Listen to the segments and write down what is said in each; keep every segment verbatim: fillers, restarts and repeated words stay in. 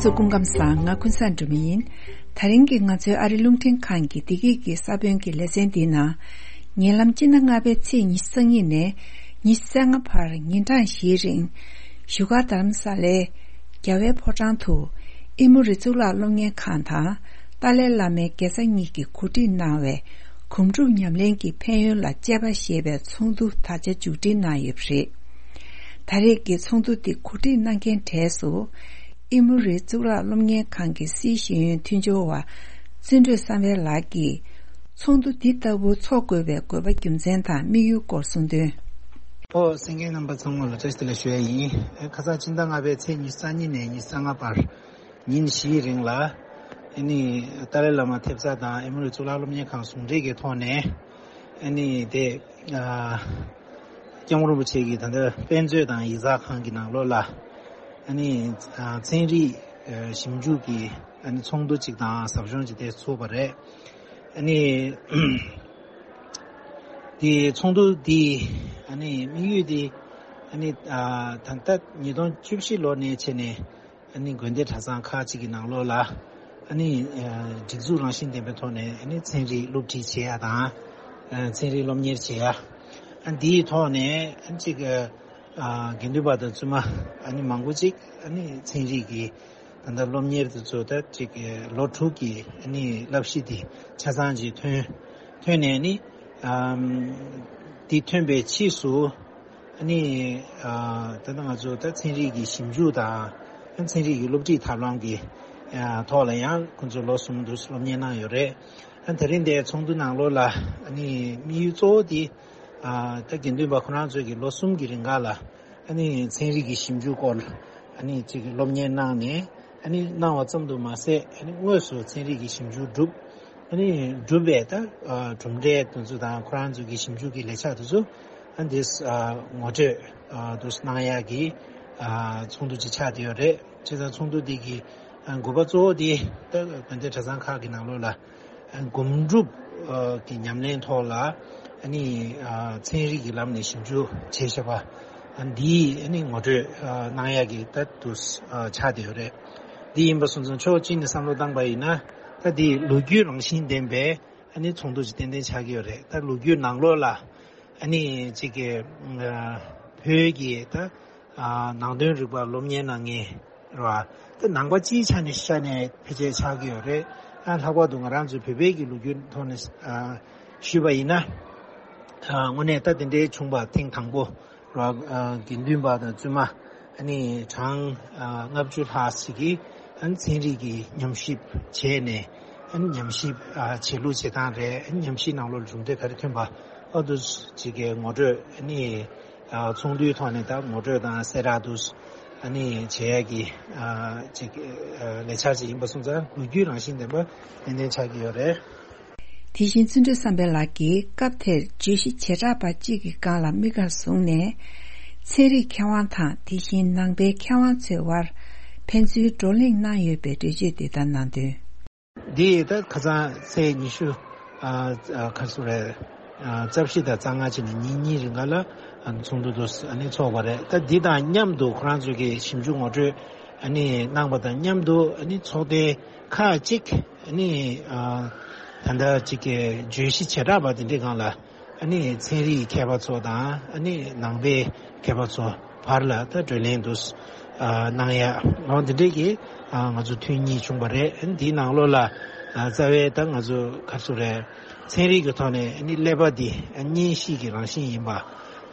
ཚོ་སྐུ་ཁམས་བཟང་། ང་ཀུན་བཟང་སྒྲོལ་མ་ཡིན། དེ་རིང་གི་ང་ཚོའི་ཨ་རི་རླུང་འཕྲིན་ཁང་གི་བདེ་སྐྱིད་ཀྱི་ས་བོན་གྱི་ལེ་ཚན་འདིའི་ནང་། ཉེ་ལམ་སྤྱི་ཟླ་ལྔ་པའི་ཚེས་ཉི་ཤུ་རྩ་གཉིས་ནས་ཉི་ཤུ་རྩ་ལྔ་བར་ཉིན་གྲངས་བཞིའི་རིང་། བཞུགས་སྒར་རྡ་རམ་ས་ལའི་རྒྱལ་བའི་ཕོ་བྲང་དུ་ཨི་མོ་རི་གཙུག་ལག་སློབ་གཉེར་ཁང་དང་ཏཱ་ལའི་བླ་མའི་དགེ་རྩ་གཉིས་ཀྱིས་གོ་སྒྲིག་གནང་བའི་སྒོམ་སྒྲུབ་ཉམས་ལེན་གྱི་ཕན་ཡོན་ལ་དཔྱད་པ་ཞེས་པའི་ཚོགས་འདུ་ད་ཆ་མཇུག་སྒྲིལ་གནང་ཡོད་པ་རེད། ད་རེས་ཀྱི་ཚོགས་འདུ་འདི་གོ་སྒྲིག་གནང་མཁན་གྲས་སུ། ཨི་མོ་རི་གཙུག་ལག་སློབ་གཉེར་ཁང་གི་སྲིད་ཤེས་ཡོན་མཐུན་སྦྱོར་བ་བརྩོན་འགྲུས་བསམ་འཕེལ་ལགས་ཀྱིས། ཚོགས་འདུ་འདི་ལྟ་བུ་འཚོགས་དགོས་པའི་དགོས་པ་རྒྱུ་མཚན་དང་དམིགས་ཡུལ་སྐོར་གསུངས་དོན། ཨོ། གསན་མཁན་རྣམ་པ་ཚང་མ་ལ་བཀྲ་ཤིས་བདེ་ལེགས་ཞུ་ཡ་ཡིན། ཨེ། ཁ་སང་སྤྱི་ཟླ་ལྔ་པའི་ཚེས་ཉི་ཤུ་རྩ་གཉིས་ནས་ཉི་ཤུ་རྩ་ལྔ་བར་ཉིན་བཞིའི་རིང་ལ། ཨ་ནི་ཏཱ་ལའི་བླ་མ་ཐེབས་རྩ་དང་ཨི་མོ་རི་གཙུག་ལག་སློབ་གཉེར་ཁང་ཟུང་འབྲེལ་གྱི་ཐོག་ནས། ཨ་ནི་དེ། ཨ། སྐྱབས་མགོན་རིན་པོ་ཆེ་གིས་ད་ལྟ་དཔེ་མཛོད་དང་ཡིག་ཚགས་ཁང་གི་ནང་ལོགས་ལ། ཨ་ནི། ཨ། ཚན་རིག་ཨ། ཞིབ་འཇུག་གི་ཨ་ནི་ཚོགས་འདུ་གཅིག་དང་ཟབ་སྦྱོང་གཅིག་དེ་ཚུགས་པ་རེད། ཨ་ནི། དེ་ཚོགས་འདུ་དེ་ཨ་ནི་དམིགས་ཡུལ་དེ། ཨ་ནི། ཨ། ད་ལྟ་ཉིས་སྟོང་བཅུ་བཞི་ལོ་ནས་བྱས་ནས། ཨ་ནི་དགོན་སྡེ་གྲྭ་ཚང་ཁག་ཅིག་གི་ནང་ལོགས་ལ། ཨ་ནི། ཨ། སྒྲིག་འཛུགས་རང་བཞིན་ལྡན་པའི་ཐོག་ནས་ཨ་ནི་ཚན་རིག་སློབ་ཁྲིད་བྱེད་ཡ་དང་། ཨ། ཚན་རིག་སློབ་གཉེར་བྱེད་ཡ། ཨ། འདིའི་ཐོག་ནས་ཨ་ཅིག་ཨ། དགེ་འདུན་པ་དང་བཙུན་མ་ཨ་ནི་མང་པོ་ཅིག་ཨ་ནི་ཚན་རིག་གི་ད་ལྟ་སློབ་གཉེར་དེ་ཚོ་ད་ཅིག་ལོ་དྲུག་གི་ཨ་ནི་བསླབ་གཞི་དེ་ཆ་ཚང་ཅིག་ཐོན། ཐོན་ནས་ནི། ཨམ། དེ་ཐོན་པའི་ཕྱིས་སུ། ཨ་ནི། ཨ། ད་ལྟ་ང་ཚོ་ད་ཚན་རིག་གི་ཞིབ་འཇུག་དང་། ཚན་རིག་གི་སློབ་ཁྲིད་ཐབས་ལམ་གྱི། ཨ། ཐོག་ལ་ཡང་ཁོང་ཚོ་ལོ་གསུམ་དུ་སློབ་གཉེར་གནང་ཡོད་རེད། ཨ། དེ་རིང་འདིའི་ཚོགས་འདུ་ནང་ལོགས་ལ་ཨ་ནི་དམིགས་ཡུལ་གཙོ་བོ་དེ། ཨ། ད་དགེ་འདུན་པ་ཁོ་རང་ཚོས་ཀྱི་ལོ་གསུམ་གྱི་རིང་ག་ལ་ཨ་ནི་ཚན་རིག་གི་ཞིབ་འཇུག་སྐོར་ཨ་ནི་ཅིག་སློབ་གཉེར་གནང་ནས། ཨ་ནི་གནང་བ་ཙམ་དུ་མ་ཟད། ཨ་ནི་དངོས་སུ་ཚན་རིག་གི་ཞིབ་འཇུག་བསྒྲུབས། ཨ་ནི་བསྒྲུབས་པའི་ད་ཨ་གྲུབ་འབྲས་དེ་ཚོ་དང་ཁོ་རང་ཚོ་གི་ཞིབ་འཇུག་གི་ལས་འཆར་དེ་ཚོ། ཨ། འདི་ཨ་ངོ་སྤྲོད་ཨ་དེ་གནང་ཡག་གི་ཨ་ཚོགས་འདུ་ཅིག་ཆགས་བསྡད་ཡོད་རེད། བྱས་ཙང་ཚོགས་འདུ་འདི་གི་ཨ་དགོས་པ་གཙོ་བོ་དེ་ད་དགོན་སྡེ་གྲྭ་ཚང་ཁག་གི་ནང་ལོགས་ལ་ཨ་སྒོམ་སྒྲུབ་ཨ་གི་ཉམས་ལེན་ཐོག་ལ་ཨ་ནི་ཨ་ཚན་རིག་གི་ལམ་ནས་ཞིབ་འཇུག་བྱས་བཞག་པ། ཨ། འདིའི་ཨ་ནི་ངོ་སྤྲོད་ཨ་གནང་ཡག་གི་ད་དུ་ཨ་ཆགས་བསྡད་ཡོད་རེད། འདི་ཡིན་པ་སོང་ཙང་ཕྱོགས་གཅིག་ནས་བསམ་བློ་བཏང་པ་ཡིན་ན། ད་འདི་ལོ་རྒྱུས་རང་བཞིན་ལྡན་པའི་ཨ་ནི་ཚོགས་འདུ་ཅིག་ཏན་ཏན་ཆགས་ཀྱི་ཡོད་རེད། ད་ལོ་རྒྱུས་ནང་ལོགས་ལ་ཨ་ནི་ཅིག་གི་ཨ་བོད་ཀྱི་ད་ཨ་ནང་དོན་རིག་པ་སློབ་གཉེར་གནང་མཁན་རེད་བ། ད་ནང་པ་སྤྱིའི་ཆ་ནས་ཤ་ནས་ཕལ་ཆེར་ཆགས་ཀྱི་ཡོད་རེད། ཨ། ལྷག་པར་དུ་ང་རང་ཚོའི་བོད་པའི་གི་ལོ་རྒྱུས་ཐོག་ནས་ཨ་ཞུས་པ་ཡིན་ན། ཨ། དངོས་གནས་ད་དེ་འདྲའི་བྱུང་བ་ཐེངས་དང་པོ་རེད་བ། ཨ། དགེ་འདུན་པ་དང་བཙུན་མ་ཨ་ནི་གྲངས་ཨ་ལྔ་བཅུ་ལྷག་ཞིག་གིས་ཨ་ནི་ཚན་རིག་གི་ཉམས་ཞིབ་བྱས་ནས། ཨ་ནི་ཉམས་ཞིབ་ཨ་བྱེད་ལུགས་བྱེད་སྟངས་རེད། ཨ་ནི་ཉམས་ཞིབ་ནང་ལོགས་ལ་གྲུབ་འབྲས་ག་རེ་ཐོན་པ། ཨ། དེ་ཚོ་ཅིག་གི་ངོ་སྤྲོད་ཨ་ནི་ཨ་ཚོགས་འདུའི་ཐོག་ནས་ད་ངོ་སྤྲོད་དང་གསལ་བསྒྲགས་དེ་ཚོ་ཨ་ནི་བྱེད་ཡག་གི་ཨ་ཅིག་ཨ་ལས་འཆར་ཅིག་ཡིན་པ་སོང་ཙང་། ལོ་རྒྱུས་རང་བཞིན་ལྡན་པ་ཏན་ཏན་ཆགས་ཀྱི་ཡོད་རེད། དེ་བཞིན་བརྩོན་འགྲུས་བསམ་འཕེལ་ལགས་ཀྱིས་སྐབས་དེར་བརྗོད་གཞི་བྱེ་བྲག་པ་གཅིག་གི་སྒང་ལ་དམིགས་བཀར་བཟུང་ནས། ཚན་རིག་མཁས་དབང་དང་དེ་བཞིན་ནང་པའི་མཁས་དབང་ཚོའི་དབར་ཕན་ཚུན་བགྲོ་གླེང་གནང་ཡོད་པའི་འགྲེལ་བརྗོད་འདི་ལྟར་གནང་དོན། འདི་ད་ཁ་སང་ཚེས་ཉི་ཤུ་ཨ་ཨ་ག་རེ་ཟེར་རེད། ཨ། རྩ་བཞི་དང་རྩ་ལྔ་བྱས་ནས་ཉིན་གཉིས་རིང་ག་ལ་ཨ་ཚོགས་འདུ་དེ་ཚོ་ཨ་ནི་ཚོགས་པ་རེད། ད་འདི་དང་མཉམ་དུ་ཁོ་རང་ཚོ་གི་ཞིབ་འཇུག་ངོ་སྤྲོད་ཨ་ནི་གནང་པ་དང་མཉམ་དུ། ཨ་ནི་ཚོགས་ཐེངས་ཁག་ཅིག་ཨ་ནི་ཨ་ད་ལྟ་ཅིག་གི་བརྗོད་གཞི་བྱེ་བྲག་པ་དེ་འདྲའི་སྒང་ལ། ཨ་ནི་ཚན་རིག་མཁས་པ་ཚོ་དང་ཨ་ནི་ནང་པའི་མཁས་པ་ཚོ་བར་ལ་ད་བགྲོ་གླེང་དུ་ཨ་གནང་ཡ། འོ། འདི་འདྲའི་གི་ཨ་ང་ཚོ་ཐུན་གཉིས་བྱུང་བ་རེད། ཨ་ནི་འདིའི་ནང་ལོགས་ལ་ཨ་རྩ་བའི་ད་ང་ཚོ་ག་རེ་ཟེར་རེད། ཚན་རིག་གི་ཐོག་ནས་ཨ་ནི་ཀླད་པ་འདི་ཨ་གཉེན་བཤེས་ཀྱི་རང་བཞིན་ཡིན་པ།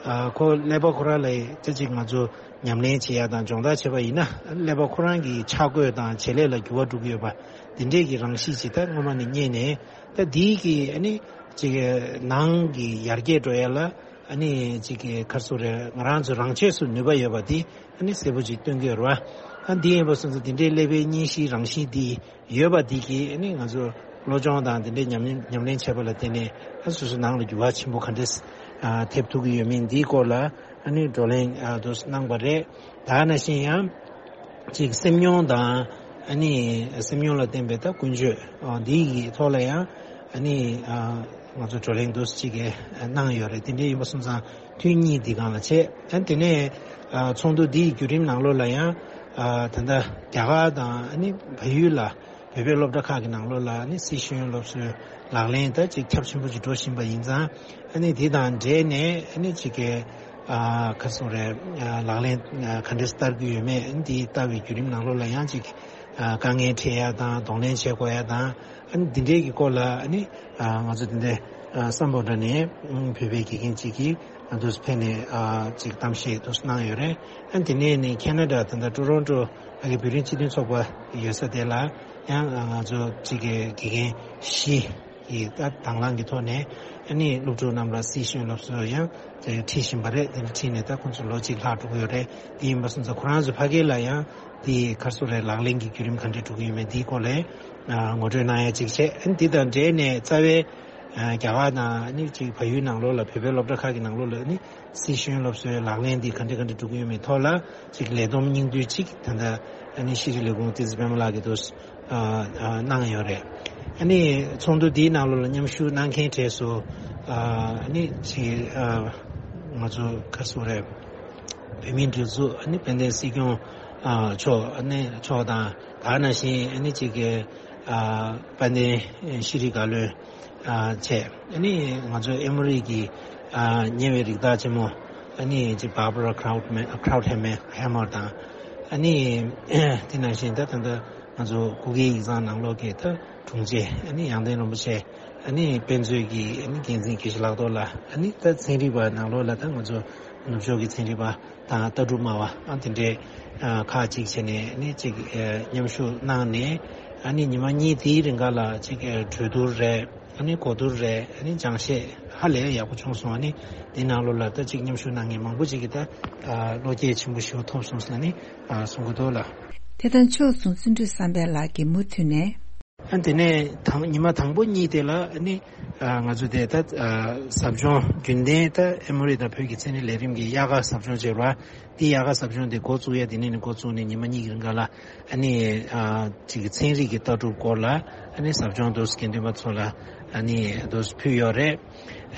ཨ། ཁོ་ཀླད་པ་ཁོ་རང་ལ་ཅི་ཅིག་ང་ཚོ་ཉམས་ལེན་བྱེད་ཡ་དང་སྦྱོང་བརྡར་བྱེད་པ་ཡིན་ན། ཀླད་པ་ཁོ་རང་གི་ཆག་སྒོ་དང་བྱེད་ལས་ལ་འགྱུར་བ་འགྲོ་གི་ཡོད་པ། འདི་འདྲའི་གི་རང་གཤིས་ཅིག་ད་སྔོན་མ་ནས་རྙེད་ནས། ད་འདིའི་གི་ཨ་ནི་ཅིག་ནང་གི་ཡར་རྒྱས་འགྲོ་ཡ་ལ་ཨ་ནི་ཅིག་གི་ག་རེ་ཟེར་རེད། ང་རང་ཚོ་རང་ཆས་སུ་ནུས་པ་ཡོད་པ་འདི་ཨ་ནི་གསལ་པོ་ཅིག་སྟོན་གྱི་ཡོད་རེད་བ། ཨ། འདི་ཡིན་པ་སོང་ཙང་འདི་འདྲའི་ཀླད་པའི་གཉེན་བཤེས་རང་བཞིན་འདི་ཡོད་པ་འདི་གིས་ཨ་ནི་ང་ཚོ་བློ་སྦྱོང་དང་འདི་འདྲའི་ཉམས་ལེན་ཉམས་ལེན་བྱས་པ་ལ་བརྟེན་ནས། ཨ། སོ་སོ་ནང་ལ་འགྱུར་བ་ཆེན་པོ་ག་འདྲས་ཨ་ཐེབས་ཐུབ་ཀྱི་ཡོད་མིན་འདིའི་སྐོར་ལ་ཨ་ནི་བགྲོ་གླེང་ཨ་དུ་གནང་པ་རེད། ད་ནང་བཞིན་ཡང་ཅིག་སེམས་མྱོང་དང་ཨ་ནི་སེམས་མྱོང་ལ་བརྟེན་པའི་ད་ཀུན་སྤྱོད། ཨ། འདི་ཡི་ཐོག་ལ་ཡང་ཨ་ནི་ཨ་ང་ཚོ་བགྲོ་གླེང་དུ་ཅིག་གནང་ཡོད་རེད། དེ་འདྲ་ཡིན་པ་སོང་ཙང་ཐུན་གཉིས་འདི་སྒང་ལ་བྱས། ཨ། དེ་ནས་ཨ་ཚོགས་འདུ་འདིའི་བརྒྱུད་རིམ་ནང་ལོགས་ལ་ཡང་ ཨ་ད་ལྟ་རྒྱ་གར་དང་ཨ་ནི་བལ་ཡུལ་ལ་བོད་པའི་སློབ་གྲྭ་ཁག་གི་ནང་ལོགས་ལ་ཨ་ནི་སྲིད་ཤེས་ཡོན་སློབ་གསོའི་ལག་ལེན་ད་ཅིག་ཁྱབ་ཆེན་པོ་ཅིག་འགྲོ་བཞིན་པ་ཡིན་ཙང་། ཨ་ནི་དེ་དང་འབྲེལ་ནས་ཨ་ནི་ཅིག་གི་ཨ་ག་རེ་ཟེར་དགོས་རེད། ཨ་ལག་ལེན་ཨ་ག་འདྲས་བསྟར་གྱི་ཡོད་མེད། ཨ་ནི་དེ་བསྟར་བའི་བརྒྱུད་རིམ་ནང་ལོགས་ལ་ཡང་ཅིག་ཨ་དཀའ་ངལ་འཕྲད་ཡ་དང་གདོང་ལེན་བྱེད་དགོས་ཡ་དང་། ཨ་ནི་འདི་འདྲའི་གི་སྐོར་ལ་ཨ་ནི་ཨ་ང་ཚོ་འདི་འདྲའི་ཨ་སམ་བྷོ་ཊ་ནས་ཨ་བོད་པའི་དགེ་རྒན་ཅིག་གིས་ཨ་འདུག་སེ་ཕེབས་ནས་ཨ་ཅིག་གཏམ་བཤད་འདུག་སེ་གནང་ཡོད་རེད། ཨ་ནི་དེ་ནས་ནི་ཁེ་ན་ཌ་ད་ལྟ་ཊོ་རོན་ཊོ་ཨ་གི་བོད་རིགས་སྤྱི་མཐུན་ཚོགས་པ་ཡོད་ས་དེ་ལ་ཡང་ཨ་ང་ཚོ་ཅིག་གི་དགེ་རྒན་བཞི་ཡི་ད་དང་བླངས་ཀྱི་ཐོག་ནས་ཨ་ནི་སློབ་ཕྲུག་རྣམས་ལ་སྲིད་ཤེས་ཡོན་སློབ་གསོ་ཡང་ཁྲིད་བཞིན་པ་རེད། དེ་འདྲ་ཁྲིད་ནས་ད་ཁོང་ཚོ་ལོ་གཅིག་ལྷག་འགྲོ་གི་ཡོད་རེད། དེ་ཡིན་པ་སོང་ཙང་ཁོ་རང་ཚོ་ཕ་གི་ལ་ཡང་དེ་ག་རེ་ཟེར་དགོས་རེད། ལག་ལེན་གྱི་བརྒྱུད་རིམ་ག་འདྲས་འགྲོ་གི་ཡོད་མེད་དེའི་སྐོར་ལ་ཨ་ངོ་སྤྲོད་གནང་ཡ་ཅིག་བྱས། ཨ་ནི་དེ་དང་འབྲེལ་ནས་རྩ་བའི་ཨ་རྒྱ་གར་དང་ཨ་ནི་ཅིག་བལ་ཡུལ་ནང་ལོགས་ལ་བོད་པའི་སློབ་གྲྭ་ཁག་གི་ནང་ལོགས་ལ་ཨ་ནི་སྲིད་ཤེས་ཡོན་སློབ་གསོའི་ལག་ལེན་འདི་ག་འདྲ་ག་འདྲ་འགྲོ་གི་ཡོད་མེད་ཐོག་ལ་ཅིག་ལས་བསྡོམས་སྙིང་བསྡུས་ཅིག་ད་ལྟ་ཨ་ནི་ཤེས་རིག་ལས་ཁུངས་ཏི་ཛི་པད་མ་ལགས་ཀྱིས་འདུག་ཨ་ཨ་གནང་ཡོད་རེད། ཨ་ནི་ཚོགས་འདུ་འདིའི་ནང་ལོགས་ལ་མཉམ་ཞུགས་གནང་མཁན་གྲས་སུ་ཨ་ཨ་ནི་ཅིག་ཨ་ང་ཚོ་ག་རེ་ཟེར་དགོས་རེད། བོད་མིའི་སྒྲིག་འཛུགས་ཨ་ནི་དཔལ་ལྡན་སྲིད་སྐྱོང་ཨ་མཆོག་ཨ་ནི་མཆོག་དང་། དེ་ནང་བཞིན་ཨ་ནི་ཅིག་གི་ཨ་དཔལ་ལྡན་ཤེས་རིག་བཀའ་བློན་ཨ་བཅས། ཨ་ནི་ང་ཚོའི་ཨེ་མོ་རི་གི་ཨ་ཉེ་བའི་རིགས་བདག་ཆེན་མོ་ཨ་ནི་ཅིག་Barbara Krautman Krauthammer དང་། ཨ་ནི་དེ་ནང་བཞིན་ད་ད་ལྟ་ང་ཚོ་སྐུ་སྒེར་ཡིག་ཚང་ནང་ལོགས་ཀྱི་ད་དྲུང་ཆེ་ཨ་ནི་ཡང་སྟེང་རིན་པོ་ཆེ་ཨ་ནི་དཔེ་མཛོད་ཀྱི་ཨ་ནི་འགན་འཛིན་དགེ་བཤེས་ལགས་ཐོག་ལ། ཨ་ནི་ད་ཚན་རིག་པ་ནང་ལོགས་ལ་ད་ང་ཚོ་ནུབ་ཕྱོགས་ཀྱི་ཚན་རིག་པ་དང་ལྟ་གྲུབ་སྨྲ་བ་ཨ་དེ་འདྲའི་ཨ་ཁག་ཅིག་བྱས་ནས་ཨ་ནི་ཅིག་ཨ་མཉམ་ཞུགས་གནང་ནས། ཨ་ནི་ཉི་མ་གཉིས་དེའི་རིང་ག་ལ་ཅིག་ཨ་གྲོས་བསྡུར་རེད། ཨ་ནི་གོ་བསྡུར་རེད། ཨ་ནི་སྦྱང་བཤད་ཧ་ལས་ཡག་པོ་བྱུང་སོང་། ཨ་ནི་དེ་ནང་ལོགས་ལ་ད་ཅིག་མཉམ་ཞུགས་གནང་མཁན་མང་པོ་ཅིག་གིས་ད་ཨ་བློ་སྐྱེད་ཆེན་པོ་ཞེ་པོ་ཐོབ་སོང་ཟེར་ནས་ནི་ཨ་གསུང་གི་འདུག་ལ། དེ་དང་ཕྱོགས་མཚུངས་བརྩོན་འགྲུས་བསམ་འཕེལ་ལགས་ཀྱིས་མུ་མཐུད་ནས། ཨ་དེ་ནས་དང་ཉི་མ་དང་པོ་གཉིས་དེ་ལ་ཨ་ནི་ཨ་ང་ཚོ་དེ་ད་ཨ་ཟབ་སྦྱོང་རྒྱུན་ལྡན་ད་ཨེ་མོ་རི་དང་བོད་ཀྱི་ཚན་རིག་ལས་རིམ་གྱི་དབྱར་ཁ་ཟབ་སྦྱོང་བྱས་པ། དེ་དབྱར་ཁ་ཟབ་སྦྱོང་དེ་འགོ་བཙུགས་ཡ་དེ་ནས་ནི་འགོ་བཙུགས་ནས་ཉི་མ་གཉིས་ཀྱི་རིང་ག་ལ་ཨ་ནི་ཨ་ཅིག་ཚན་རིག་གི་ལྟ་གྲུབ་སྐོར་ལ་ཨ་ནི་ཟབ་སྦྱོང་དུ་དགེ་འདུན་པ་ཚོ་ལ་ཨ་ནི་དུ་ཕུལ་ཡོད་རེད།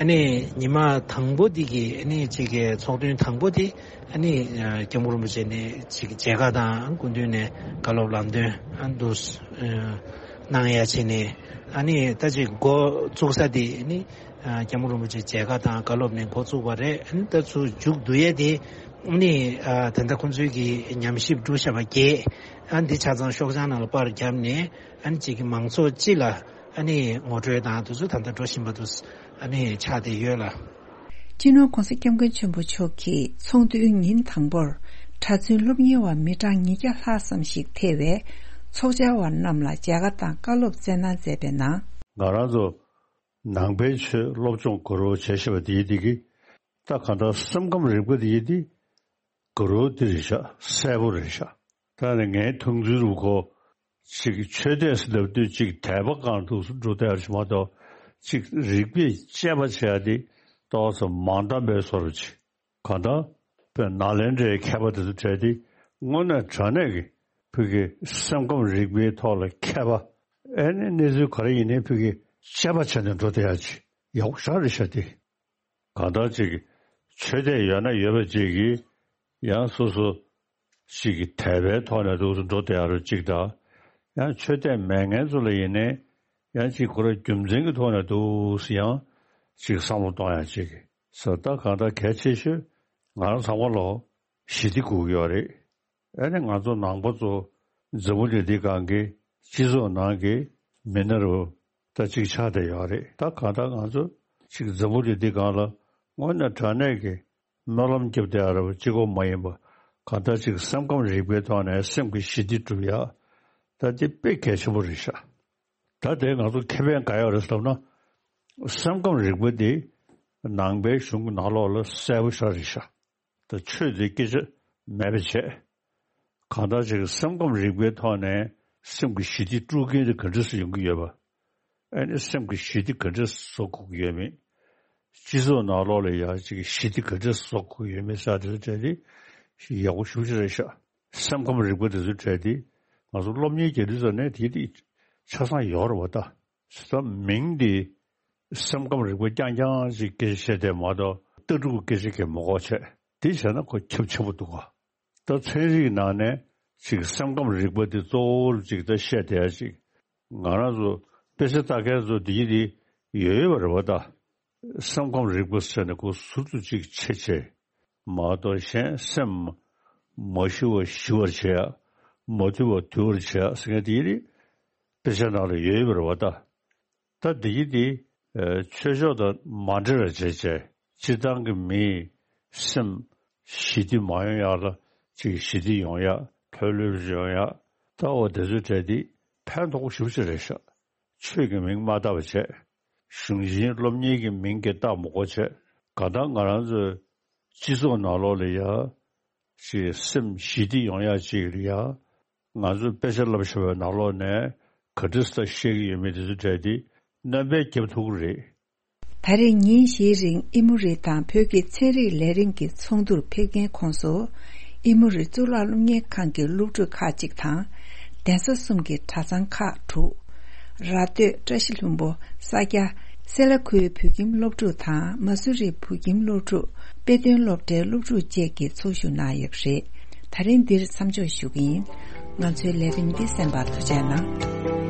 ཨ་ནི་ཉི་མ་དང་པོ་དེ་གི་ཨ་ནི་ཅིག་གི་ཚོགས་ཐུན་དང་པོ་དེ་ཨ་ནི་ཨ་སྐྱབས་མགོན་རིན་པོ་ཆེ་ནས་ཅིག་མཇལ་ཁ་དང་སྐུ་མདུན་ནས་བཀའ་སློབ་ལམ་སྟོན་ཨ་འདུག་ཨ་གནང་ཡ་བྱས་ནས། ཨ་ནི་ད་ཅིག་འགོ་བཙུགས་ས་དེ་ཨ་ནི་ཨ་སྐྱབས་མགོན་རིན་པོ་ཆེ་མཇལ་ཁ་དང་བཀའ་སློབ་ནས་འགོ་བཙུགས་པ་རེད། ཨ་ནི་ད་ཚུར་མཇུག་བསྡུ་ཡ་དེ་ཨ་ནི་ཨ་ད་ལྟ་ཁོང་ཚོའི་གི་ཉམས་ཞིབ་བསྒྲུབས་བཞག་པ་བརྒྱད་ཨ་ནི་དེ་ཆ་ཚང་ཤོག་བྱང་ནང་ལ་པར་བརྒྱབ་ནས། ཨ་ནི་ཅིག་གི་མང་ཚོགས་སྤྱི་ལ་ཨ་ནི་ངོ་སྤྲོད་དང་དུས་ཚོད་ད་ལྟ་འགྲོ་བཞིན་པ་དུ་ཨ་ནི་ཆགས་བསྡད་ཡོད་ལ། སྤྱི་ནོར་༸གོང་ས་༸སྐྱབས་མགོན་ཆེན་པོ་མཆོག་གིས་ཚོགས་འདུའི་ཉིན་དང་པོར་གྲྭ་བཙུན་སློབ་གཉེར་བ་མི་གྲངས་ཉིས་བརྒྱ་ལྷག་ཙམ་ཞིག་ཐེ་བའི་ཚོགས་བཅར་བ་རྣམས་ལ་མཇལ་ཁ་དང་བཀའ་སློབ་སྩལ་གནང་མཛད་པའི་ནང་། ང་རང་ཚོ་ནང་པའི་ཆོས་སློབ་སྦྱོང་དགོས་རོགས་བྱས་ཤེས་པ་དེའི་དེ་གི་ད་གང་ལྟར་སེམས་ཁམས་རིག་པ་དེའི་དེ། དགའ་རབ་དེ་རེད་ཤག་གསལ་པོ་རེད་ཤག་ད་ནི་ངའི་མཐོང་ཚུལ་རུ་ཁོ། ཅིག་ཆོས་དད་ཟེར་ལབ་དུས་ཅིག་དད་པ་གང་འདུག་སེ་འགྲོ་བསྡད་ཡ་རེད་མ་གཏོགས། ཅིག་རིག་པས་དཔྱད་པ་བྱེད་ཡ་དེ་ཏོག་ཙམ་མ་འདང་བའི་བཟོ་འདྲ་ཅིག་གང་ལྟར། དཔེར་ན་ནཱ་ལེནྡྲའི་མཁས་པ་དེ་ཚོ་གྲས་དེ་དངོས་གནས་དྲང་གནས་ཀྱི་ཕ་གི་སེམས་ཁམས་རིག་པའི་ཐོག་ལ་མཁས་པ། ཨེ་ནི་གནས་ཚུལ་ག་རེ་ཡིན་ནའི་ཕ་གི་དཔྱད་པ་བྱས་ནས་འགྲོ་བསྡད་ཡ་ཅིག་ཡག་པོ་ཞེ་དྲག་རེད་ཤག་དེ། གང་ལྟར་ཅིག་ཆོས་དད་ཡོད་ན་ཡོད་པ་ཅིག་གིས་ཡང་སོ་སོ་ཅིག་གི་དད་པའི་ཐོག་ནས་འདུག་སེ་འགྲོ་བསྡད་ཡ་རུ་ཅིག་དང་། ཡང་ཆོས་དད་མེད་མཁན་ཚོ་ལ་ཡིན་ནའི་ཡང་ཅིག་ཁོ་རང་རྒྱུ་མཚན་གྱི་ཐོག་ནས་འདུག་སེ་ཡང་ཅིག་བསམ་བློ་གཏོང་ཡ་ཅིག་ཟེར། ད་གང་ལྟར་གལ་ཆེ་ཤོས་ང་རང་ཚང་མ་ལོ་ཞི་བདེ་དགོས་ཀྱི་ཡོད་རེད། ཨ་ནི་ང་ཚོ་ནང་པ་ཚོ་འཛམ་བུ་གླིང་འདི་སྒང་གི་སྤྱི་ཚོགས་ནང་གི་མི་སྣ་རུ་ད་ཅིག་ཆགས་བསྡད་ཡོད་རེད། ད་གང་ལྟར་ང་ཚོ་ཅིག་འཛམ་བུ་གླིང་འདི་སྒང་ལ་དངོས་གནས་དྲང་གནས་ཀྱི་སྨོན་ལམ་རྒྱབ་བསྡད་ཡ་རེད་པ། གཅིག་པོ་མ་ཡིན་པ། གང་ལྟར་ཅིག་སེམས་ཁམས་རིག་པའི་ཐོག་ནས་སེམས་ཀྱི་ཞི་བདེ་སྒྲུབ་ཡ། ད་དེ་དཔེ་གལ་ཆེན་པོ་རེད་ཤག་ད་དེ་ང་ཚོ་ཁེ་ཕན་ག་ཡོད་རེད་ཟེར་ལབ་ན། སེམས་ཁམས་རིག་པ་དེ་ནང་པའི་གཞུང་གི་ནང་ལོགས་ལ་གསལ་པོ་ཞེ་དྲག་རེད་ཤག་ད་ཆོས་དེ་སྐད་ཆ་མེད་པ་བྱས། གང་ལྟར་ཅིག་སེམས་ཁམས་རིག་པའི་ཐོག་ནས་སེམས་ཀྱི་ཞི་བདེ་དཀྲུག་མཁན་དེ་ག་འདྲ་སེ་ཡོང་གི་ཡོད་པ། ཨ་ནི་སེམས་ཀྱི་ཞི་བདེ་ག་འདྲ་སེ་བཟོ་དགོས་ཀྱི་ཡོད་མེད། སྤྱི་ཚོགས་ནང་ལོགས་ལ་ཡང་ཅིག་ཞི་བདེ་ག་འདྲ་སེ་བཟོ་དགོས་ཀྱི་ཡོད་མེད་ཟེར་དེ་ཚོ་གྲས་དེ་ཡག་པོ་ཞེ་པོ་ཅིག་རེད་ཤག་སེམས་ཁམས་རིག་པ་དེ་ཚོ་གྲས་དེ་ང་ཚོ་སློབ་གཉེར་རྒྱག་དུས་ཙམ་ནས་དེ་དེ་ཆ་ཚང་ཡོད་རེད་པ། ད་ད་མིང་དེ་སེམས་ཁམས་རིག་པ་རྐྱང་རྐྱང་ཅིག་སྐད་ཆ་བཤད་བསྡད་མ་གཏོགས། ལྟ་གྲུབ་ཀྱི་སྐད་ཆ་གང་མ་གོ་བྱས། དེ་བྱས་ན་ཁོ་ཁྱབ་ཆེན་པོ་འདུག་ག་ད་ཚན་རིག་ནང་ནས་ ཅིག་སེམས་ཁམས་རིག་པ་དེ་གཙོ་བོ་ཅིག་ད་བཤད་བསྡད་ཡ་ཅིག་ང་རང་ཚོ་དཔེ་ཆ་ལྟ་མཁན་ཚོ་འདི་གི་དེ་ཡོད་ཡོད་པ་རེད་བ་ད། སེམས་ཁམས་རིག་པ་ཟེར་ནས་ཁོ་ཟུར་དུ་ཅིག་ཕྱེ་བྱས། མ་གཏོགས་གཞན་སེམས་མ་ཤི་བ་ཤི་བར་བྱེད་ཡ། མ་དུལ་བ་དུལ་བར་བྱེད་ཡ་ཟེར་མཁན་དེ་ཡིན་རེད། དཔེ་ཆ་ནང་ལ་ཡོད་ཡོད་པ་རེད་བ་ད། ད་འདི་གི་དེ་ཆོས་ཕྱོགས་དང་མ་འབྲེལ་བ་བྱས་བྱས་སྤྱིར་བཏང་གི་མིའི་སེམས་ཞི་བདེ་མ་ཡོང་ཡག་ལ་ཅིག་ཞི་བདེ་ཡོང་ཡག་ལྷོད་ལྷོད་ཡོང་ཡག་ད་འོ་དེ་ཚོའི་གྲས་དེ་ཕན་ཐོགས་ཞེ་པོ་ཅིག་རེད་ཤག་ཆོས་ཀྱི་མིང་མ་བཏགས་པ་བྱས། གཞུང་ཆེན་སློབ་གཉེར་གྱི་མིང་གིས་བཏགས་མ་དགོས་བྱས། གང་ལྟར་ང་རང་ཚོའི་སྤྱི་ཚོགས་ནང་ལོགས་ལ་ཡ། ཅིག་སེམས་ཞི་བདེ་ཡོང་ཡ་ཅིག་ལ་ཡ། ང་ཚོས་དཔེ་ཆ་བསླབ་བཞག་པའི་ནང་ལོགས་ནས་ག་འདྲ་ས་བཤད་ཀྱི་ཡོད་མེད་དེ་ཚོ་གྲས་དེ་སྣོན་པ་བརྒྱབ་ཐུབ་ཀྱི་རེད། ད་རེས་ཉིན་བཞིའི་རིང་ཨི་མོ་རི་དང་བོད་ཀྱི་ཚན་རིག་ལས་རིམ་གྱི་ཚོགས་འདུར་ཕེབས་མཁན་ཁོངས་སུ། ཨི་མོ་རི་གཙུག་ལག་སློབ་གཉེར་ཁང་གི་སློབ་ཕྲུག་ཁག་ཅིག་དང་། གདན་ས་གསུམ་གྱི་གྲྭ་ཚང་ཁག་དྲུག་ར་སྟོད་བཀྲ་ཤིས་ལྷུན་པོ། ས་སྐྱ། སེ་ལ་ཁུལ་བོད་ཁྱིམ་སློབ་ཕྲུག་དང་མ་སུ་རི་བོད་ཁྱིམ་སློབ་ཕྲུག་དཔེ་སྟོན་སློབ་གྲྭའི་སློབ་ཕྲུག་བཅས་ཀྱིས་ཚོགས་ཞུགས་གནང་ཡོད་པ་རེད། ད་རིང་འདིར་མཚམས་འཇོག་ཞུ་གི་ཡིན། ང་ཚོའི་ལས་རིམ་འདི་གསན་པར་ཐུགས་རྗེ་གནང་།